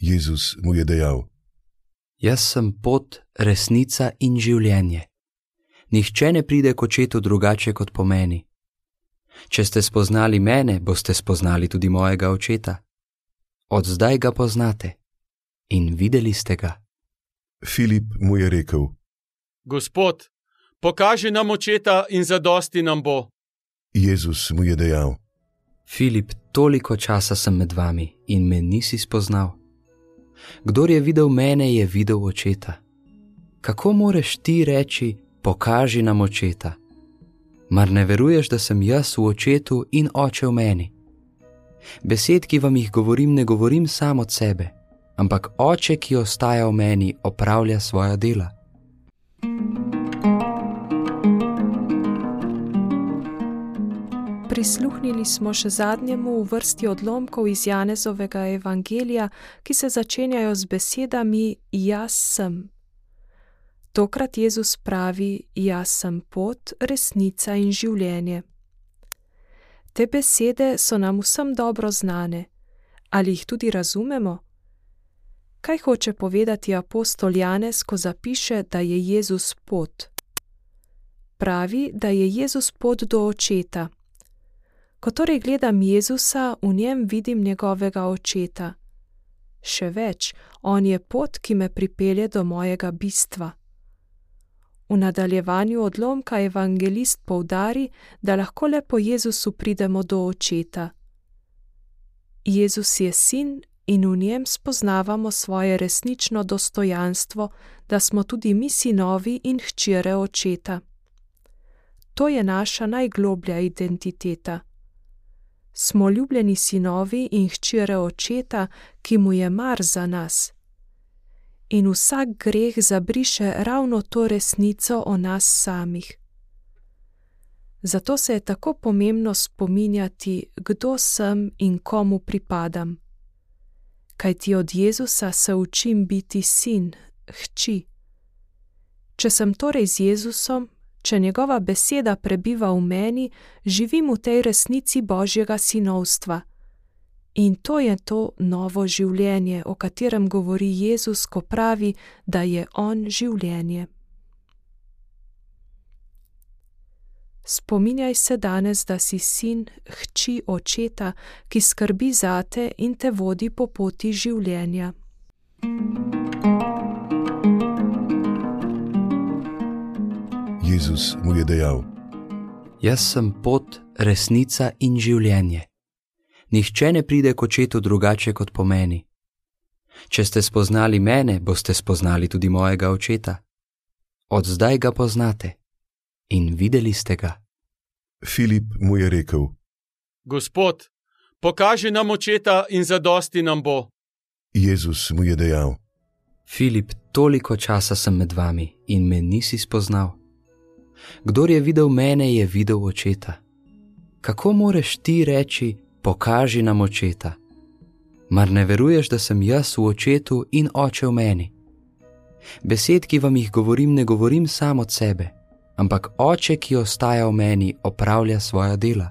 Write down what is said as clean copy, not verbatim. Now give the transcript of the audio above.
Jezus mu je dejal: Jaz sem pot, resnica in življenje. Nihče ne pride k očetu drugače kot po meni. Če ste spoznali mene, boste spoznali tudi mojega očeta. Od zdaj ga poznate in videli ste ga. Filip mu je rekel: Gospod, pokaži nam očeta in zadosti nam bo. Jezus mu je dejal: Filip, toliko časa sem med vami in me nisi spoznal. Kdor je videl mene, je videl očeta. Kako moreš ti reči, pokaži nam očeta? Mar ne veruješ, da sem jaz v očetu in oče v meni? Besed, ki vam jih govorim, ne govorim sam od sebe, ampak oče, ki ostaja v meni, opravlja svoja dela. Prisluhnili smo še zadnjemu v vrsti odlomkov iz Janezovega evangelija, ki se začenjajo z besedami Jaz sem. Tokrat Jezus pravi: Jaz sem pot, resnica in življenje. Te besede so nam vsem dobro znane. Ali jih tudi razumemo? Kaj hoče povedati apostol Janez, ko zapiše, da je Jezus pot? Pravi, da je Jezus pot do očeta. Ko torej gledam Jezusa, v njem vidim njegovega očeta. Še več, on je pot, ki me pripelje do mojega bistva. V nadaljevanju odlomka evangelist poudari, da lahko le po Jezusu pridemo do očeta. Jezus je sin in v njem spoznavamo svoje resnično dostojanstvo, da smo tudi mi sinovi in hčere očeta. To je naša najgloblja identiteta. Smo ljubljeni sinovi in hčere očeta, ki mu je mar za nas. In vsak greh zabriše ravno to resnico o nas samih. Zato se je tako pomembno spominjati, kdo sem in komu pripadam. Kajti od Jezusa se učim biti sin, hči. Če sem torej z Jezusom, če njegova beseda prebiva v meni, živim v tej resnici Božjega sinovstva. In to je to novo življenje, o katerem govori Jezus, ko pravi, da je on življenje. Spominjaj se danes, da si sin, hči očeta, ki skrbi zate in te vodi po poti življenja. Jezus mu je dejal: Jaz sem pot, resnica in življenje. Nihče ne pride k očetu drugače kot po meni. Če ste spoznali mene, boste spoznali tudi mojega očeta. Od zdaj ga poznate in videli ste ga. Filip mu je rekel: Gospod, pokaži nam očeta in zadosti nam bo. Jezus mu je dejal: Filip, toliko časa sem med vami in me nisi spoznal. Kdor je videl mene, je videl očeta. Kako moreš ti reči, pokaži nam očeta? Mar ne veruješ, da sem jaz v očetu in oče v meni? Besed, ki vam jih govorim, ne govorim sam od sebe, ampak oče, ki ostaja v meni, opravlja svoja dela.